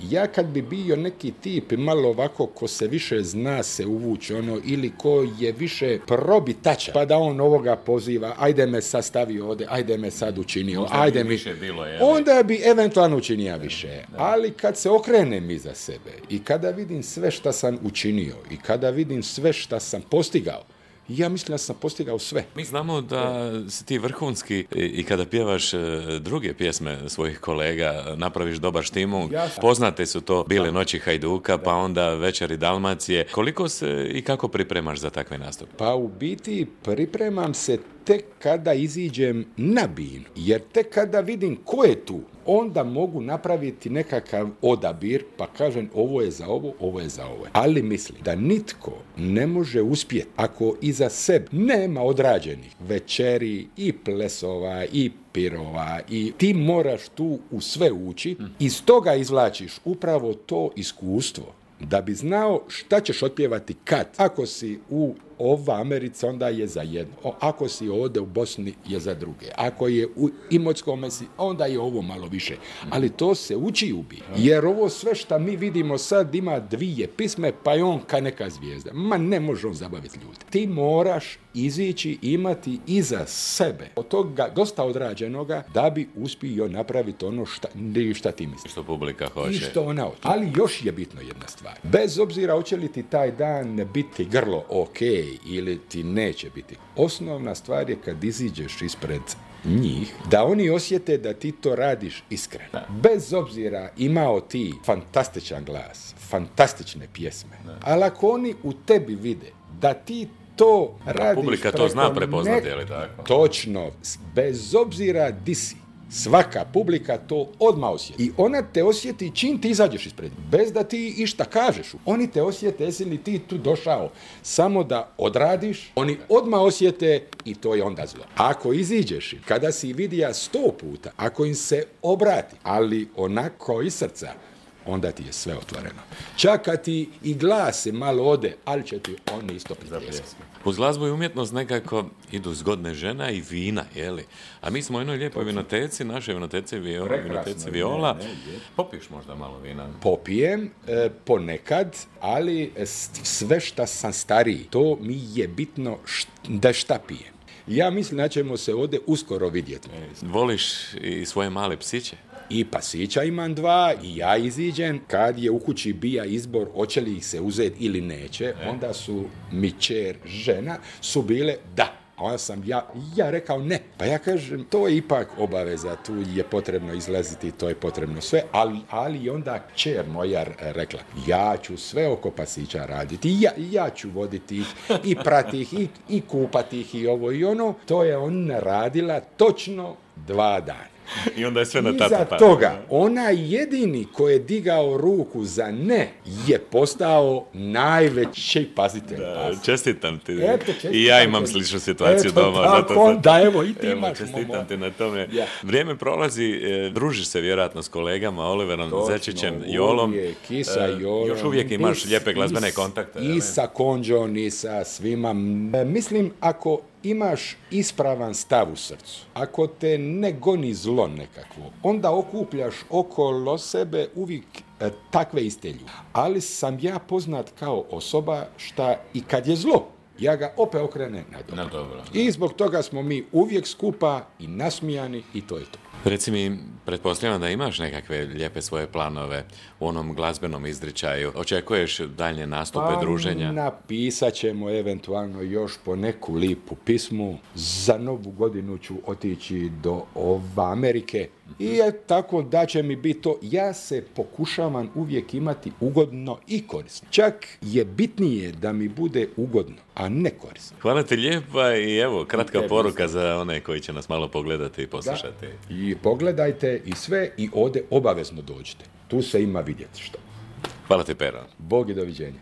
Ja kad bi bio neki tip malo ovako ko se više zna se uvući ili ko je više probitača, pa da on ovoga poziva, ajde me sad stavi ovdje, ajde me sad učinio, ajde mi... Onda bi eventualno učinio više. Ali kad se okrenem iza sebe i kada vidim sve šta sam učinio i kada vidim sve šta sam postigao, ja mislim da sam postigao sve. Mi znamo da si ti vrhunski i kada pjevaš druge pjesme svojih kolega, napraviš dobar štimu. Poznate su to Bile noći Hajduka, pa onda Večeri Dalmacije. Koliko se i kako pripremaš za takve nastupe? Pa u biti pripremam se tek kada iziđem na binu, jer tek kada vidim ko je tu, onda mogu napraviti nekakav odabir, pa kažem ovo je za ovo, ovo je za ovo. Ali mislim da nitko ne može uspjeti ako iza sebe nema odrađenih večeri i plesova i pirova i ti moraš tu u sve ući, iz toga izvlačiš upravo to iskustvo da bi znao šta ćeš otpjevati kad. Ako si u Americi, onda je za jedno. Ako si ovdje u Bosni, je za druge. Ako je u Imotskome, onda je ovo malo više. Ali to se uči ubi. Jer ovo sve što mi vidimo sad ima dvije pisme, pa je on ka neka zvijezda. Ma ne može on zabaviti ljude. Ti moraš izići, imati iza sebe od toga dosta odrađenoga da bi uspio napraviti ono šta ti misliš. Što publika hoće. I što ona hoće. Ali još je bitno jedna stvar. Bez obzira hoće li ti taj dan biti grlo ok ili ti neće biti. Osnovna stvar je kad iziđeš ispred njih, da oni osjete da ti to radiš iskreno. Bez obzira imao ti fantastičan glas, fantastične pjesme, ali ako oni u tebi vide da ti to radiš... Publika to zna prepoznati, je li tako? Točno, bez obzira di si. Svaka publika to odmah osjeti. I ona te osjeti čim ti izađeš ispred. Bez da ti išta kažeš. Oni te osjete, jesi li ti tu došao samo da odradiš, oni odmah osjete i to je onda zlo. Ako iziđeš, kada si vidija 100 puta, ako im se obrati, ali onako iz srca, onda ti je sve otvoreno. Čak kad ti i glas se malo ode, ali će ti oni isto pripljesati. Uz glazbu i umjetnost nekako idu zgodne žena i vina, jeli? A mi smo u jednoj lijepoj vinoteci, našoj vinoteci Viola. Popiješ možda malo vina? Popijem, ponekad, ali sve šta sam stariji, to mi je bitno da šta pijem. Ja mislim da ćemo se ovdje uskoro vidjeti. Voliš i svoje male psiće? I pasića imam 2 i ja iziđem. Kad je u kući bija izbor hoće li ih se uzeti ili neće, onda su mi kćer, žena, su bile da. A onda sam ja rekao ne. Pa ja kažem, to je ipak obaveza, tu je potrebno izlaziti, to je potrebno sve, ali onda kćer moja rekla, ja ću sve oko pasića raditi, ja ću voditi ih i prati ih i kupati ih i ovo i ono. To je ona radila točno 2 dana. I onda je sve na tata. Iza toga, onaj jedini ko je digao ruku za ne je postao najveći pazitelj. Čestitam ti. I ja imam sličnu situaciju doma. Tako, evo i ti imaš. Čestitam ti na tome. Vrijeme prolazi, družiš se vjerojatno s kolegama, Oliverom Zečićem, Jolom. Kisa, Jolom. Još uvijek imaš lijepe glazbene kontakte. I sa Konđom, i sa svima. Mislim, ako imaš ispravan stav u srcu, ako te ne goni zlo nekakvo, onda okupljaš okolo sebe uvijek takve iste ljude. Ali sam ja poznat kao osoba šta i kad je zlo, ja ga opet okrenem na dobro. I zbog toga smo mi uvijek skupa i nasmijani i to je to. Reci mi, pretpostavljam da imaš nekakve lijepe svoje planove u onom glazbenom izričaju. Očekuješ daljnje nastupe, druženja? Napisat ćemo eventualno još po neku lipu pismu. Za Novu godinu ću otići do Amerike. I tako da će mi biti to. Ja se pokušavam uvijek imati ugodno i korisno. Čak je bitnije da mi bude ugodno, a ne korisno. Hvala ti lijepa i evo, kratka poruka za one koji će nas malo pogledati i poslušati. Da. I pogledajte i sve i ovdje obavezno dođite. Tu se ima vidjeti što. Hvala ti, Pero. Bog i doviđenja.